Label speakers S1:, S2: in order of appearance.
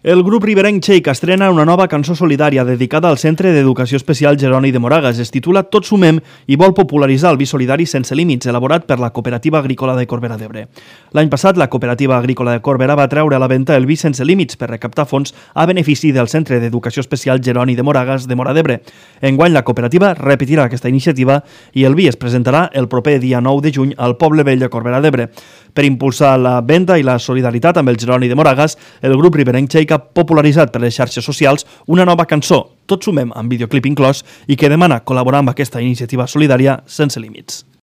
S1: El grup riberenc Shake estrena una nova cançó solidària dedicada al Centre d'Educació Especial Jeroni de Moragas. Es titula Tots sumem i vol popularitzar el vi solidari sense límits, elaborat per la Cooperativa Agrícola de Corbera d'Ebre. L'any passat, la Cooperativa Agrícola de Corbera va treure a la venda el vi sense límits per recaptar fons a benefici del Centre d'Educació Especial Jeroni de Moragas de Móra d'Ebre. Enguany, la cooperativa repetirà aquesta iniciativa i el vi es presentarà el proper dia 9 de juny al Poble Vell de Corbera d'Ebre. Per impulsar la venda i la solidaritat amb el Jeroni de Moragas, el grup riberenc Shake ha popularitzat per les xarxes socials una nova cançó, Tots sumem, amb videoclip inclòs, i que demana col·laborar amb aquesta iniciativa solidària sense límits.